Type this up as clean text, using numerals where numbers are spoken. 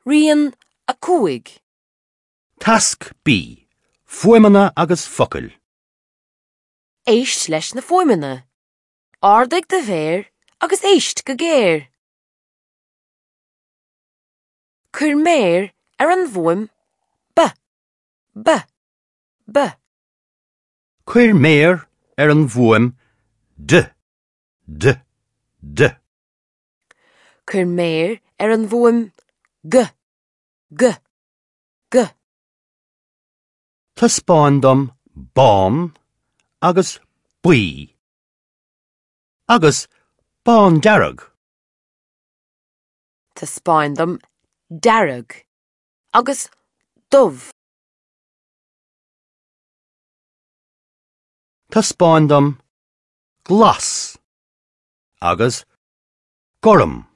Rian 5. Tasc B, Fuaimeanna agus focail. Éist leis na fuaimeanna. Ardaigh do mhéar agus éist go géar. Cuir méar ar an bhfuaim B, B, B. Cuir méar ar an bhfuaim D, D, D. Cuir méar ar an bhfuaim G, G, G. Taispeáin dom bán agus buí. Agus bándearg. Taispeáin dom dearg agus dubh. Taispeáin dom glas agus gorm.